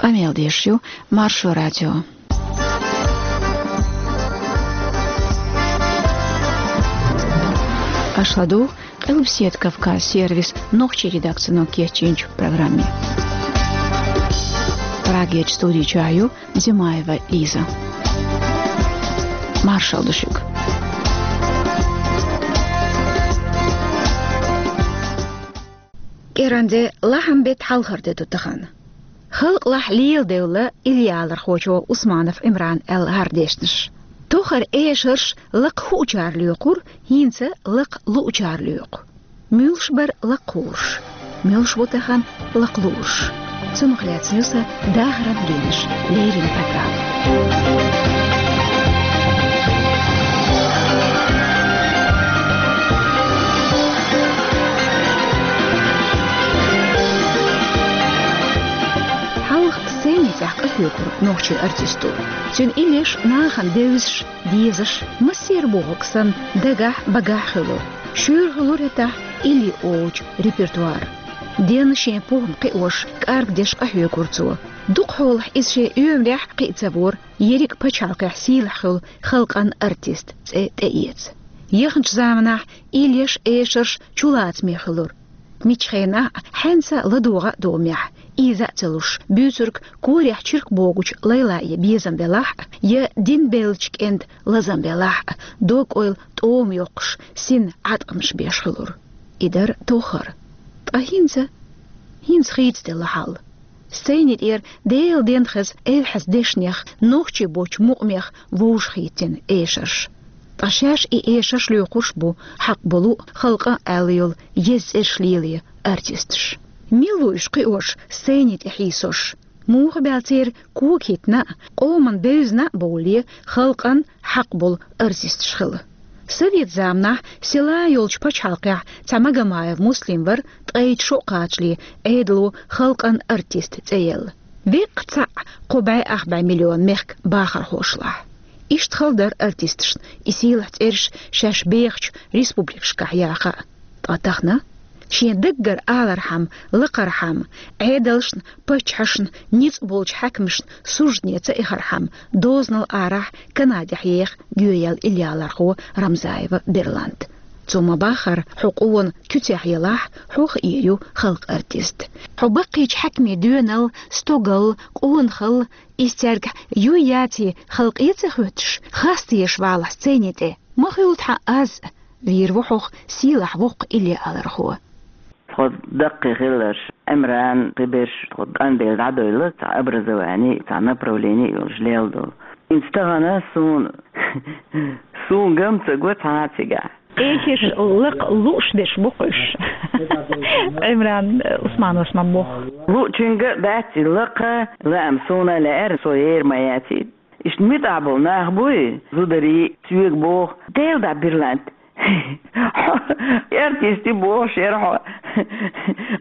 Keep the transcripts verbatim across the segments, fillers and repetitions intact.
Къамел деш ю Маршо радио. Аша ладугӀу Къилбаседа Кавказ сервисан нохчийн редакцино кечйинчу программе. Прагерчу студи чохь ю Димаева Лиза. Маршалла ду шуьга. КӀиранде лахьан беттан хьалхара де ду тахана. Халкъалахь леладевлла иллиалархочо Усманов Ӏимрана аьлла хӀара дешнаш. Тохара эшарш лакха хуучара лоькхура, хӀинца лакха луучара лоькху. Муьлш бара лакха хуурш? Муьлш бу тахана лакха луурш? Цунах лаьцна ю сан дахаран генаш леррина программа. Хьалха сцени тӀехь къахьоьгура нохчийн артисто. Цуьнан иллеш нахана девзаш, дезаш, массеран бохург санна, дагахь, багахь хуьлура. Шуьйра хуьлура хӀетахь илли олучу репертуар. Денна шен похӀма кхиош, кӀаргдеш къахьоьгура цо. Дукха хьолахь иза шен оьмарехь кхиа ца вора, ерриг а пачхьалкхехь сийлахь хуьлу халкъан артист цӀе тӀеэца. Яханчу заманахь иллеш, эшарш чулацаме хуьлура. Миччу хенахь а, хьаьнца а ладогӀа а догӀу мехь, ийза а ца луш, буьйцург корехь чиркх богучу лайла я безам белахь а, я дин беллачу кӀентан лазам белахь а, дог-ойла тӀома йоккхуш, син Ӏаткъамаш беш хуьлура. И дара тохара. Ткъа хӀинца? ХӀинца хийцаделла хьал. Сцени тӀера Делан денна хеза эвхьаза дешнех, нохчий боцчу мукъамех вовшахӀиттина эшарш. Ткъа шаьш и эшарш лоькхуш бу хьакъ болу, халкъан аьлла йолу еза цӀераш лелае артисташ. Мила ву уьш кхиош, сцени тӀе хьийсош? Муха баьлла церан кога хӀиттина а, къоман бевзина а бовлале, халкъан хьакъ болу артисташ хила? Совет заманахь села йолчу пачхьалкхехь цхьа Магомаев Муслим вара, ткъе итт шо кхачале Ӏедало халкъан артист цӀе елла. Веккха цхьаъ кхо бӀе ах бӀе миллион мехкан бахархошлахь. Иштта хала дара артисташна и сийлахь цӀераш шаьш бехачу республикашкахь яха а. Ткъа тахана? Шен даггара алархьама, лакхархьама, Ӏедалшна, паччахьашна, ницкъ болчу хьаькамашна суждане ца эхархьама, дозанал арахь Канадехь еха гоьяьлла иллиалархо Рамзаева Берлант. Цо ма-баххара, хьо къона куьцехь елахь, хьох эр ю халкъан артист. Хьо баккхийчу хьаькамийн доьналла, стогалла, къонахалла, иза цаьргахь юй яций халкъе а ца хоьттуш, хастаеш валахь сцени тӀе? Ма хуьлу тхан аз, вийр ву хьох сийлахь воккха иллиалархо. Тхо даккхий хилларш, Ӏимран, кхиберш, тхо къанбелла дӀадойла, цхьа образование, цхьа направление йолуш лелла долу. ХӀинца тахана суна, суна гам ца го цхьа а цигахь. Эхиш лакха лууш дерш бу-кх уьш. Ӏимран Усмановс ма боху. Луучуьнга а бац и лакха, лаам суна а лаьара, со ер ма яций. Иштта муьтӀахь болу нах буй, зударий, соьга боху, Дела дӀа, Берлант. Хьо артист ю бохуш яра хьо.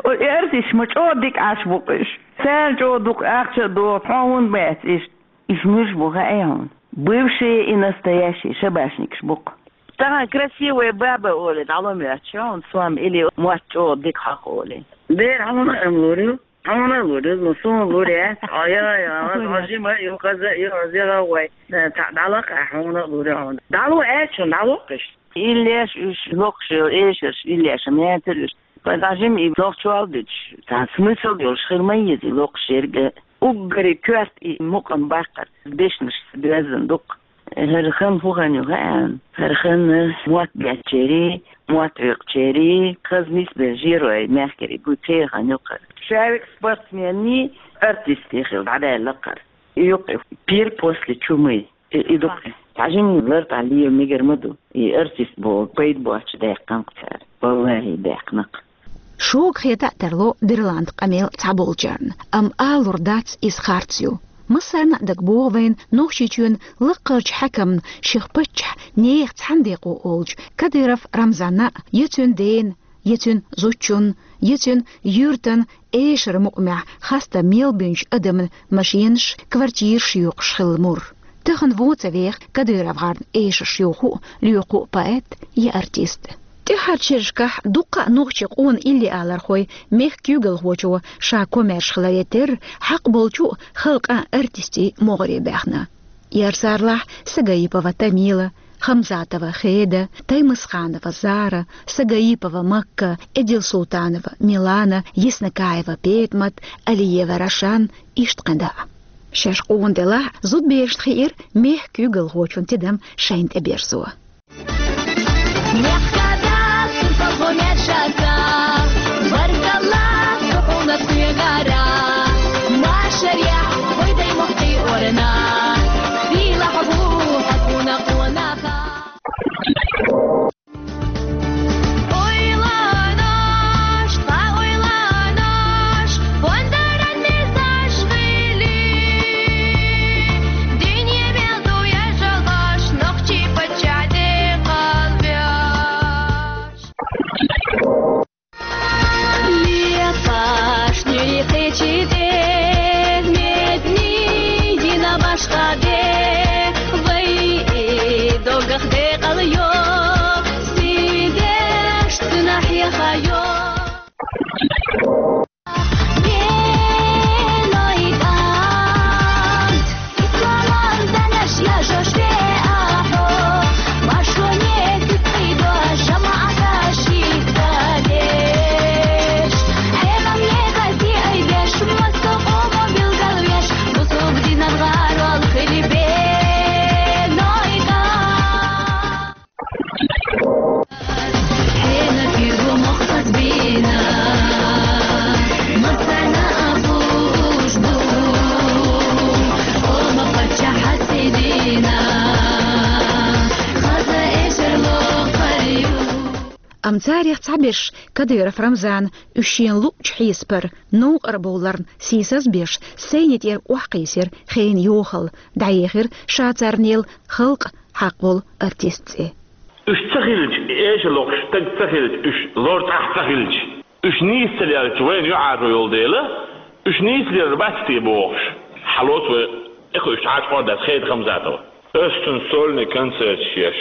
О, и артисташ ма чӀогӀа дика Ӏаш бу-кх уьш. Царна чӀогӀа дукха ахча а доху, хьо хӀунда бац иштта? Уьш муьлш бу хаьий хьуна? Бывшие и настоящие шабашникаш бу-кх. Тахана красивая баба олий, дӀало моьтту хьуна сом или мотт чӀогӀа дика хьо олий. Дера хьуна а ма лур ю. Хьуна а лур ю, ну, суна лур яц. Ой, ой, ой, ой, жима ю, хаза ю, зира вай. Цхьаъ дӀалакха, хьуна а лур ю хьуна. ДӀало аьлча, дӀалокхуш. Иллеш уьш локхуш йолу эшарш, иллеш ма яцара уьш. Ткъа жима и нохчалла дуьтуш, цхьа смысл йолуш хир ма еза и локхуш ерг а. Уггаре коьрта и мукъам баккхар, дешнаш доьзна дукха. ХӀара хан хӀун хан ю хаьа? ХӀара хан мотт беттачерий, мотт хьоькхучерий, хаза нисбелла жерой мехкарий гуй, церан хан ю-кх хӀара. Шаьвиг спортсмений, артистий хила дӀадаьлла-кх хӀара. И ю-кх и пир после чумы. И, и ду-кх и. Цхьа жимма лартӀехь лела мегар ма ду. И артист боху пайда боццуш даьккхина-кх цара. Валлахи, даьккхина-кх. Шога хета а тарло Берлант къамел цхьаболчарна, амма алур дац иза харц ю. Массарна а дагабоху вайна Нохчийчоьнан лакхарчу хьаькамна шех паччахьан нехан цхьаьна декъо олучу Кадыров Рамзанна а, я цуьнан дена, я цуьнан зудчунна, я цуьнан юьртана эшаран мукъамехь хастам мел бинчу адамна машенаш, квартираш йоькхуш хилла мур. Тахана вон ца веха КадыровгӀарна эшарш йоху а, лоькху а поэт я артист. ТӀеххьарчу шерашкахь дуккха а нохчийн къона иллиалархой мехкан куьйгалхочо ша комаьрша хиларе терра, хьакъ болчу а халкъан артистийн могӀаре баьхна. Яр царлахь Сагаипова Тамила, Хамзатова Хеда, Таймасханова Зара, Сагаипова Макка, Эдилсултанова Милана, Яснакаева Петмат, Алиева Рошан, иштта кхин дӀа а. Шаьш къона делахь а, зудаберашна хиира мехкан куьйгалхочун тидам шайна тӀеберзо. Мехкада, сурталхо меца шаца, баркалла, хьо хьуна кхоьгара, машарехь, вай дай мохкий орна, сийлахь бу хьо хьуна къонаха. Ойланош, тха ойланош, хӀунда ран мезаш хили, дуьне мел ду яжалаш, нохчий паччахь де кхалбеш. Лепаш нуьйкхечи де, медни йина башха де, вай и догах декъал йо, сидеш цуьнан хьеха йо. Исламан занаш яжош ве ахьо, машоне куьцкъий дош, жамаӀата шийтта деш. Хьерам ехази айдеш, массо къомо билгалвеш, бусулба динан гӀарол хили бе нойда. Хьенан пиргу мохк хазбина, мацана а хӀуш ду, ома паччахь хьасидина, хаза эшар лохар ю. Амма царех цхьаберш Кадыров Рамзана уьш шена луъучу хьесапара новкъара бовларна сийсаз а беш, сайни тӀера охьакхийсира хенан йохалла, дӀаехира ша царна елла халкъан хьакъ болу артистан цӀе. Уьш ца хилча, эшар лохуш стаг ца хилча, уьш лор цӀахь ца хилча, уьш нийса ца лелча, вайна юьхьӀаьржо йолу дела, уьш нийса лелар бац те бохуш, хьалоцу вай, тӀекхуьуш Ӏачу къордас Хеда Хамзатова. Ас цуьнан сольный концерташ еш.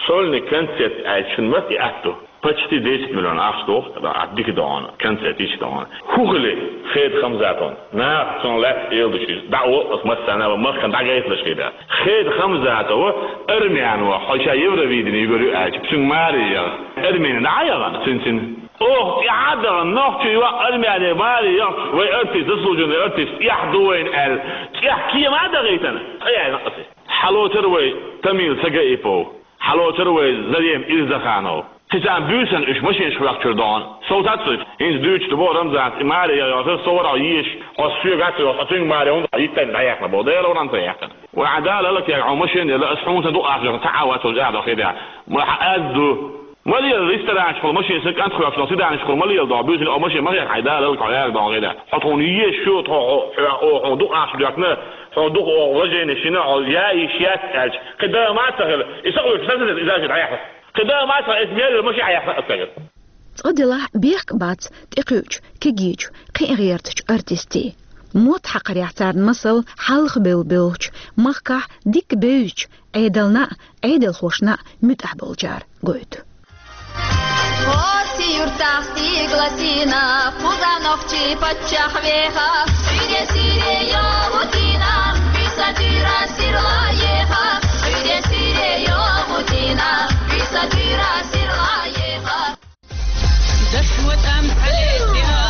Сольный концерт аьлча шуна маца и атта ду? Почти десять миллион ахча доху, а дика догӀу, концерт йича догӀу. ХӀун хили Хеда Хамзатовна? Наха цунна лаьцна эладича иза дӀа а ву, ас массарна а ван, махкана дӀагайталаш хир дац. Хеда Хамзатова армяно хьо ша Евровидение югур ю аьлча, цуьнга маре яхна. Армяне дӀа а яхана цуьнан цӀе. Оха тӀаьхьа а дахана, нохчо йоӀ армяне маре яхча, вай артист, заслуженный артист, эхь ду вайна аьлла, цӀехь кема а дахийтина, цӀа яьлла аса. Хьалоцура вай Тамила Сагаипова, хьалоцура вай Зарема Ирзаханова. Кхин царна буьйсанна уьш машинашка ваьхначуьра догӀу. Сов тац уьш. ХӀинца дуьйцуш ду боху Рамзанца, и маре яхана, со вара хьо езаш, хьо соьга а ца йохуш, хьо цуьнга маре хӀунда хьо йиттайна дӀаяьккхина боху. Дела вара ца яьккхина. Вай хьан Дала лакхера хьо машина елла, ас хьуна сан дукъ ахча ца Ӏа вац хьо жаӀ доху хи да. Вай хьан аз ду. Ма лела ресторанчухула машина сан кӀант хӀоьттина, сиданчухула ма лела догӀу, буьйсанна о машина ма хетта хьайн Дала лакхера хьо яьрга догӀу хи да. Хьо тхуна езаш ю, тхо хьо, хьо, хьо, хьуна дукъ ахча доьхкина, хьуна дукъ о вложение шина, хьо яа йиш яц аьлча, кхин да ма ца хила, и сан вуьйш сан сан иза жида хьехна. Кхин да ма ца, эс мел маши Ӏехна аса. Цкъа делахь бехк бац тӀекхуьучу, кегийчу, кхин а гӀертачу артистийн. Мотт хьакхарехь царна масал хьалха бевлла бевллачу, махкахь дикка бевзачу, Ӏедална а, Ӏедалхошна а муьтӀахь болчара гойту. Оццу юьртахь стигла сийна, кхуза нохчий паччахь веха, уьде сире йогӀу дина, биса туьра сирла еха, уьде сире йогӀу дина, биса туьра сирла еха. Дашна тӀам хьалетира,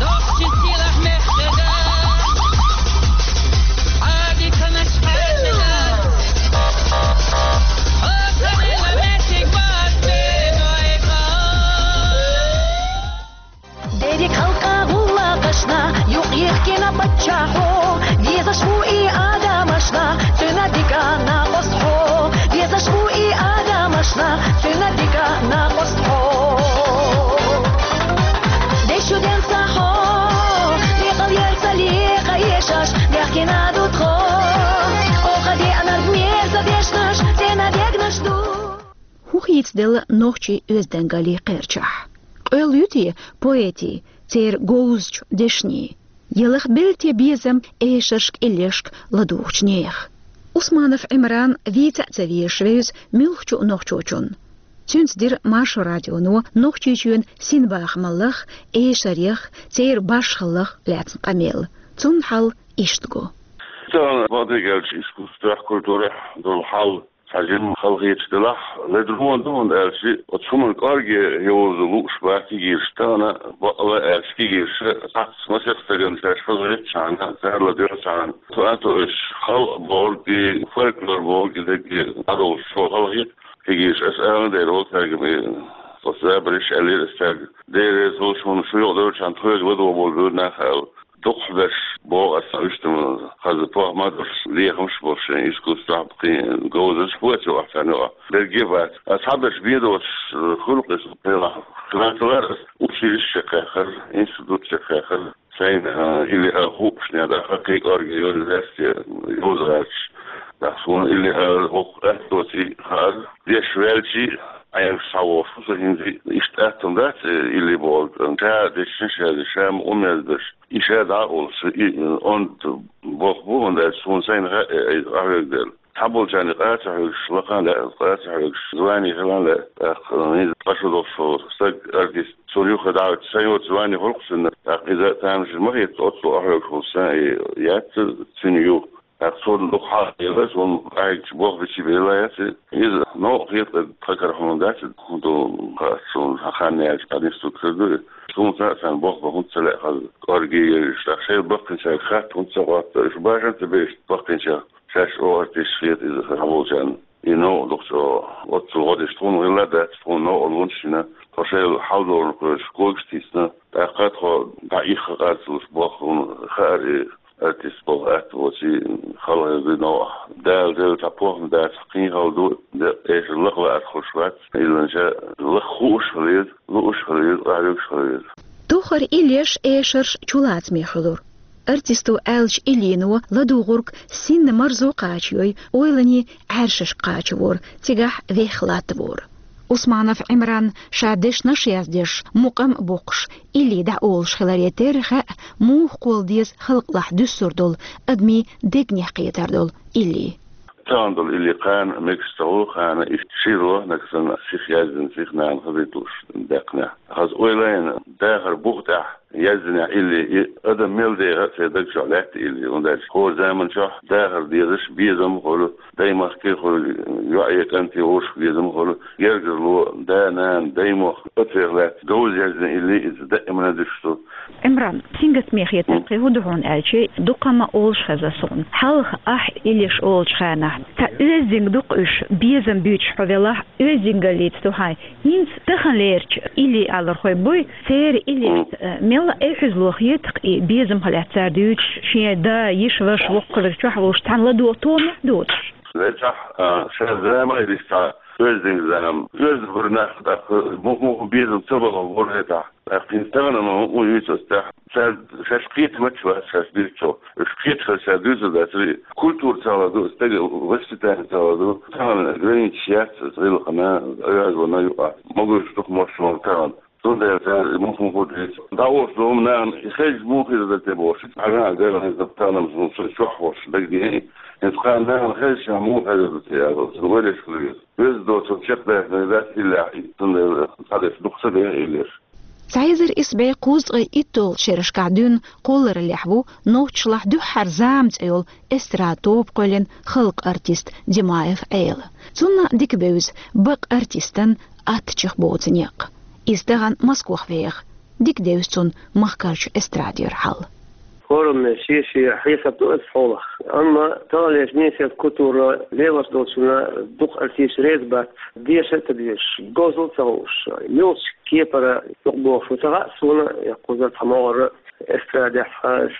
нохчийн сийлахь мехкада, Ӏади канаш хьаьрмина, о, карила меттиг бац бен вайга. Дерриг халкъа гӀуллакхашна юкъ йихкина паччахьо, везаш ву и адамашна цуьнан дика накъост хьо. Везаш ву и адамашна цуьнан дика накъост хьо. Дешуден ца хьо, декъал яр ца лекха ешаш, бехкина ду тхо. Оха деанарг мерза дешнаш, цӀена дегнаш ду. ХӀун хийцаделла нохчийн оьздангаллин кхерчахь? Къоьлла ю те поэтийн, церан говзачу дешнийн? Ялахбелла те безам эшаршка, иллешка ладугӀучу нехан? Усманов Ӏимран вийца а ца везаш вевза муьлххачу нохчочунна. Цуьнца дира Маршо радионо Нохчийчоьнан синбахамаллах, эшарех, церан башхаллах лаьцна къамел. Цунна хьал иштта го. Цхьана бакъдерг аьлча, искусствехь, культурехь долу хьал цхьа жимма халахеташ делахь, ледарло ду, хӀунда аьлча оцу хӀуманна кӀорге йовза лууш бац кегийрхой, тахана бакъ а аьлча кегийрхой, цхьацца масех стагана шаьш хазахетачхьана, царла доьлчхьана, цу а тоьуш, халкъ бохург и, фольклор бохург и дерриге дӀадолуш чӀогӀа халахета кегийрхой. Ас ала дера, вол цаьрга ме, оцу забарш аьллера ас цаьрга. Дера реза хуьлда шуна, шу юкъадевлчхьана тхоьга ладогӀа болу буьйр нах аьлла. Дукхахберш боху ас, сан вуьшта ма хаза, похӀма а долуш, лехамаш а болуш, шайн искусствехь кхин говзанчаш а бац юкъахь царна юкъахь. Берриге а бац. Ас цхьаберш бен доцуш, э, хуьлу-кх иза, пхьелахь хиланца вара ас, училище чекхъяххара, институт чекхъяххара. Сайна, э, илли а хуъушехь, тӀаккха кхин кӀорге йолу лаьцна йоза гӀерташ. ТӀаккха суна илли а хӀокху атта доций хаьара, деш ваьлчий, Ӏаьржа схьавогӀуш ву со хӀинца. Иштта атта хӀума дац, э, илли бохург. Ша дешна, ша, ша ма умезбеш. И ша дӀа а олуш, и, онда боху бу, хӀунда аьлча суна сайна хаьа, э, охьавега дела. Цхьаболчарна къа ца хьоьгуш, лакхахь а лаьа, къа ца хьоьгуш, звани хилахь а лаьа, тӀаккха, э, хӀинца къа шу долуш со, стаг артист, цунна юха дӀа а ваьлча, сайн йоцу звани хуьлу-кх цуьнан, тӀаккха иза тамашийна ма хета, оццул охьавега волуш сан и яц цуьнан ю. ТӀаккха цунна дукха хьалха елла, суна къахьегча болх бича белла яц и. Иза новкъа хета, тхан кара хӀума дац, хӀун ду, хаьа суна, хан яьлча, къаьстина стаг хир ду и. Суна цхьаъ санна болх бан хӀунда ца лаьа хаза, кӀорге а йевзаш, тӀаккха шайна баккхийчаьрга хатта хӀунда ца хотту, уьш башха ца беш баккхийчаьрга. Шаьш оха артисташ хета иза хьаболчарна. И новкъа дукха чӀогӀа. Оццул гӀо деш тхуна хилла дац, тхуна новкъарлонаш йина, тхо шайла хьал долург кхоьруш, когаш тийсина. ТӀаккха тхо дӀа ихха къарцалуш боху, хӀунда хаьара и артист болу атта воций, халахетта новкъахь. Дала делла цхьа похӀма дацахь, кхин хала ду, декъа эшар лакха лаьа хуьлуш вац, иза ша лакха хууш хила веза, лууш хила веза, къахьоьгуш хила веза. Тохара иллеш, эшарш чулацаме хуьлура. Артисто аьллачу иллино ладугӀург синна марзо кхачайой, ойланийн Ӏаьршашка кхачавора, цигахь вехха латтавора. Усманов Ӏимран ша дешнаш яздеш, мукъам а боккхуш, илли дӀаолуш хиларе терра хаьа, муха кхолла деза халкъалахь дуьсур долу, адамийн дегнех кхетар долу илли. Тахана долу илли кхана мегаш ца хуьлу, кхана иштта шира ло, нагахь санна сиха яздина, сиха нана хазийталуш даьккхинехь. Хаза ойла йина, дахар бух тӀехь яздинехь илли, и адам мел деха а церан даг чохь лаьтта илли, хӀунда аьлча хӀора заман чохь дахар дезаш безам а хуьлу, даймахке а хуьлу, йоӀе, кӀанте вовшах безам а хуьлу, гергарло, да, нана, даймохк, оцех лаьцна говза яздина илли иза даимана дуьсуш ду. Ӏимран, сингаттаме хетар кхин хӀун ду хьуна аьлча, дукха ма олуш хеза суна. Хьалха ахь иллеш олучу хенахь, цхьа оьздангалла ду-кх уьш, безам буьйцуш хьо велахь, оьздангаллица ду хьайн. ХӀинца таханлерчу илли алархой буй, церан иллешца, э, мелла а эхь-хьуьзало хета-кх и безамах лаьцна цара дуьйцуш, шен да, йиша, ваша воккхачу хаза чохь волуш цхьаьна ладогӀа томехь доцуш. Вецахь, а, шайн зама а йиш цхьа оьздангаллин зама. Оьзда бара нах, тӀаккха муха-муха безам ца бахара вора хетахь. ТӀаккха хӀинца тахана ма хӀун юьйцу ас тӀехь. Цара шаьш кхетамаш бац, шаьш дуьйцу. Уьш кхеташ ша дуьйцур дац. Культура цхьаалла ду, стеган воспитание цхьаалла ду. Тахана границаш яц, гӀиллакхана, оьзда вана юкъа. Могуш дукха мощ ван тахана. Цундела цара муха-муха дуьйцу. ДӀаош ду хӀума нахана, и хезча муха хир дара те бохуш. Ӏажа а гайла хезна тахана, ма хӀун ца чохь бохуш дагадеана. ХӀинца кхана нахана хезча муха хезар ду те аьлла, цуьнан вареш хила веза. Веза доцург чекхдаьхна дац иллехь, цундела цхьадерш дукха ца дехна иллеш. Цхьа эзар исс бӀе кхузткъе итталгӀачу шерашкахь дуьйна кхоллараллехь ву нохчашлахь дуьххьара зама цӀе йолу эстрада тоба кхоьллина халкъан артист Димаев Ӏела. Цунна дика бевза бакъ артистан аттачех боцу некъ. Иза тахана Москох веха. Дика девза цунна махкарчу эстрадера хьал. ХӀораммо шен-шен хьесап ду оцу хьолах. Амма таханлерчу несерчу культура лелош долчунна дукха артисташ реза бац, деша а ца дезаш, говзалла а ца хууш, муьлхачу кепара юкъабохуш ву ца хаьа суна, я кхузара цхьа могӀара эстрадехь,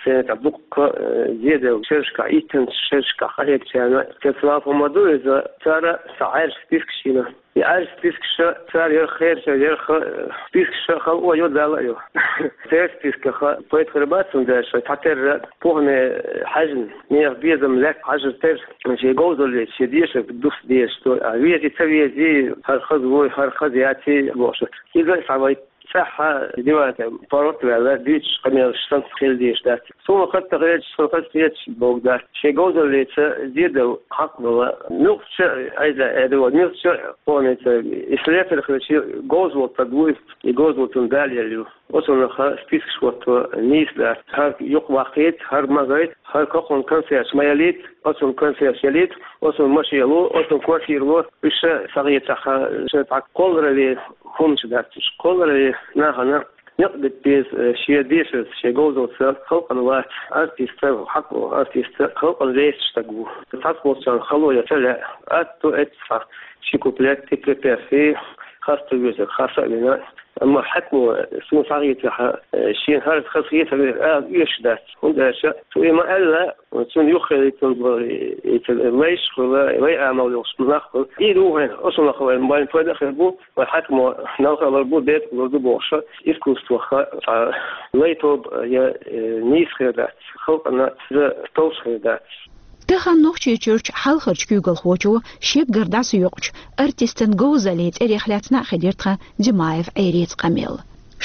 сцена тӀехь дуккха, э, зеделла шерашкахь, иттанчу шерашкахь къахьегначарна. Цецвала хӀума ду иза, цара цхьа Ӏаьржа спискаш йина. И Ӏаьржа спискаш цара ярх херча, ярх, э, спискаш халкъо а йо, Далла а йо. Церан списках пайда хир бац, хӀунда аьлча шайн цхьатерра похӀме хьаьжна, нехан безам лаьцна хьажар терра, шен говзаллица, шен дешарг дус дезаш ду. А везий, ца везий, хӀара хаза вуй, хӀара хаза яций бохуш. Иза а цхьа вай цӀаьхха диван тӀа паргӀат а ваьлла, дуьйцуш къамелаш санна хила дезаш дац. Суна хатта хеташ, суна хатта хеташ бохург дац. Шен говзаллица зе дала хьакъ долу, муьлххачу а, айда, айда, муьлххачу а къомаца, и слесарь хилча, говза волу стаг ву, и говзалла цунна далаелла ю. Оцунах спискаш хӀотто нийса дац. ХӀара юкъа ваккхийта, хӀара ма гайта, хӀара кхунна конфеташ ма ялийта, оцунна конфеташ ялийта, оцунна машен ло, оцунна квартира ло, уьш ша схьахецахь, ша цхьа кхолларалле хӀуманаш дац уьш. Кхолларалле нахана некъ бита беза, э, шен дешарца, шен говзаллица халкъана вац, артист ву, хьакъ волу артист халкъана везаш стаг ву. Цхьацца болчарна хало ян ца лаьа, атта эццахь ши куплет, и припев, и хаста везар, хаса а вина. Амма хьаькамо суна схьахецахь, э, шена хӀара хазахетар ала оьшуш дац. ХӀунда аьлча цо и ма-аьлла, цунна юххе лайтина болу и, и лайш а хуьлу, лай амал йолуш нах а хуьлу. И ду вайн, оцунах вайн, вайн пайда а хир бу, вайн хьаькамо налха а лур бу, бепиг а лур ду бохуш, искусствах цхьа лай тоба я, э, нийса хир дац, халкъана иза товш хир дац. Тахана Нохчийчуьрчу хьалхарчу куьйгалхочо шеггара дӀасаоькъучу артистан говзаллин цӀерех лаьцна а хилира тхан Димаев Ӏерица къамел.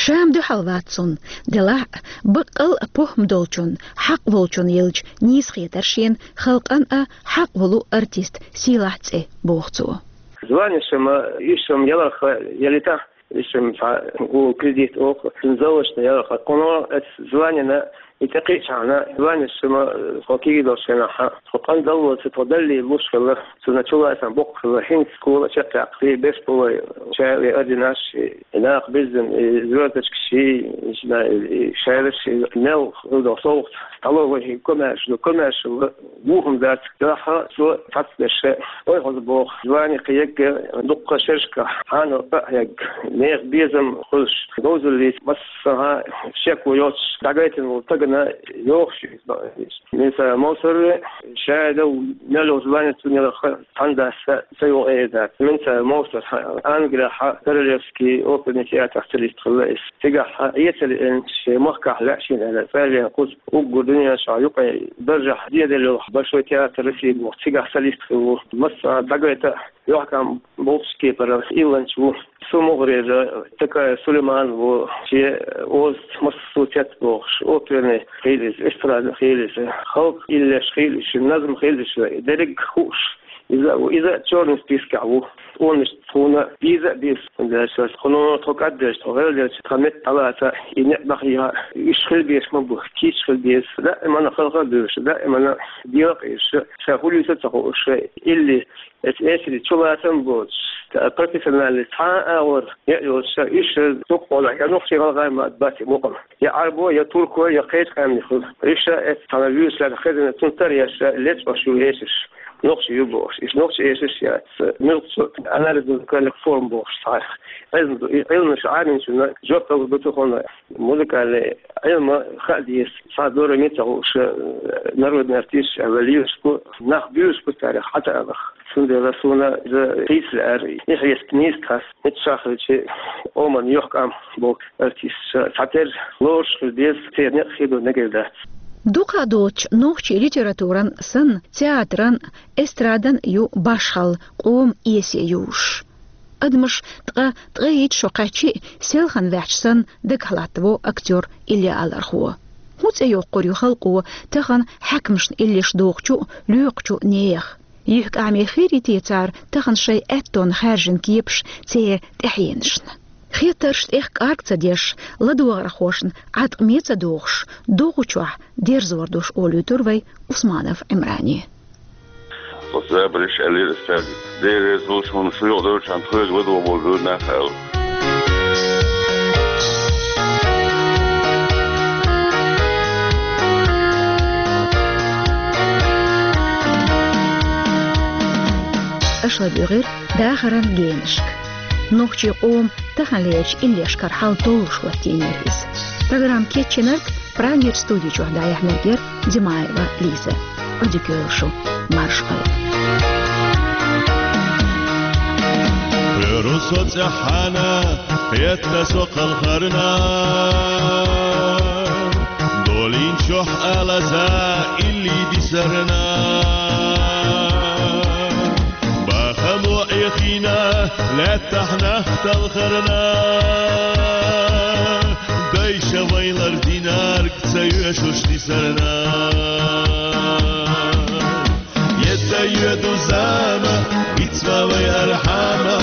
Ша-м дуьхьал вац цунна, делахь а, баккъал а похӀма долчун, хьакъ волчун елча, нийса хетара шена халкъана а хьакъ волу артист сийлахь цӀе, боху цо. Званеш-м, иш-м яларх ялита, иш-м цхьа у кредит оха, цуьнан залочна яларх. Кхуно эцу званина и тӀекхиъчхьана, званеш-м, э, тхо кегий долчу хенахь, тхо къандаллалца тхо даллий луш хилла, цунна чулацам боккха хилла, хӀинца школа чекхъяккхий, беш бу вай, шаьле орденаш, и накха беззина, и звёздочкаш, и, и шайраш, и мел хӀума совгӀат, столовый комаьрша ду, комаьрша ду, бохам дац, дахьа цо цхьацца дерш. Ой, хьоза боху, звани кхиягга дуккха шершка, хьанал а хьегга, нехан безам хуьлуш, говзаллица массанхьа шеко йоцуш, дӀагайтина волу стагана йохуш иза. Миса Мовсар ша дал мел йолу звани цунна яларх цхьана дас ца йогӀу эр дац. Миса Мовсар Англехь Королевский оперный театр солист хилла иза. Цигахь Ӏеца лиъна, шен махкахь лаьа шена аьлла, цӀа а лен кхуза уггар дуьнен чохь юкъе даржехь деделла йолу Большой театр России боху, цигахь солист хилла ву. Массанхьа дӀагайта, юьхькӀам болчу кепара илланча ву. Цу мухӀарера Такаев Сулейман ву, шен озаца массо а цец бохуш, оперный хилла иза, эстрадный хилла иза, халкъан иллеш хилла иза, назам хилла иза, дерриг хууш. Иза а ву, иза а чёрный спискехь ву. Тхуна, тхуна беза а беза, хӀунда аьлча тхуна тхо кӀаддерча, тхо гӀелделча, тхан метта дӀалаца, и некъ дӀахьийха, уьш хила безаш ма бу, кийча хила беза. Даимана халха а буьйлуш, даимана дегӀа а къийсуш, ша хӀун дуьйцу а ца хууш, илли, эцу эсаре чулацам а боцуш, профессиональный цхьа а агӀор яа йоцуш, уьш дукха хьолахь, я нохчий, гӀалгӀай ма бац и мукъам. Я Ӏарбо, я турко, я кхечу къаьмнех хуьлу. Уьш эцу цхьана вуьйш лаьцна хезна, цунна тара еш, лечкъош ю эшарш. Нохчий ю бохуш. Иза нохчий эшарш яц. Муьлххачу анализно-музыкальных форм бохуш цхьа. Ӏилма ду, и Ӏилманаш Ӏамийначунна жоп лур ду тхуна. Музыкальный Ӏилма хаа деза. Цхьа дора мица хууш, э, народный артист а валлалц бу, нах буьйлуш бу царех хьатаалах. Цундела суна иза хийца лаьара, и хьесап нийса тхас. Миччахь хилча, Ӏоман юьхькӀам болу артисташ цхьатерра лоруш хила деза, церан некъ хир ду мегар дац. Дукха доцучу нохчийн литературан санна, театран, эстрадан ю башхалла къоман эсе юзуш. Адамаш ткъа ткъе итт шо кхаьччи а, селхана ваьхьча санна, дагахь латтаво актёр Илья Алархо. ХӀун цӀе йоккхур ю халкъо тахана хьаькамашна иллеш дохучу а, лоькхучу а нехан? ЮьхькӀаме хир йий те цара тахана шайн аьттонна хаьржина кепаш церан тӀаьхьенашна? Хеттарш тӀех кӀарг ца деш, ладогӀархошна Ӏаткъаме ца дохуш, догӀучохь дерзор долуш олуьйтура вай Усманов Ӏимране. Оцу забарш аьллера ас цаьрга. Дела реза хуьлда шуна, шу юкъадевлчхьана тхоьга ладогӀа болу буьйра нах аьлла. Аша ладуьйгӀира дахаран генашка. Нохчийн къоман таханлерчу иллешкара хьал толлуш хӀоттийнера иза. Программа кечйинарг, Прагерчу студи чохь дӀаяьхьнарг яра Димаева Лиза. Ӏодика йойла шу, марша Ӏойла. Кхоьру со цӀеххьана, хетта со кхалхарна, долийначохь алаза илли дисарна. Бахамо Ӏехийна, лаьттахь нах талхарна, Вайлар динарг ца йоьшуш дисарна. Етта йоьду зама, бицва вай архьама,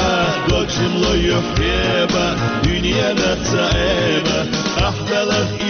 дог жимло йохкеба, дуьненах ца эба, ахталах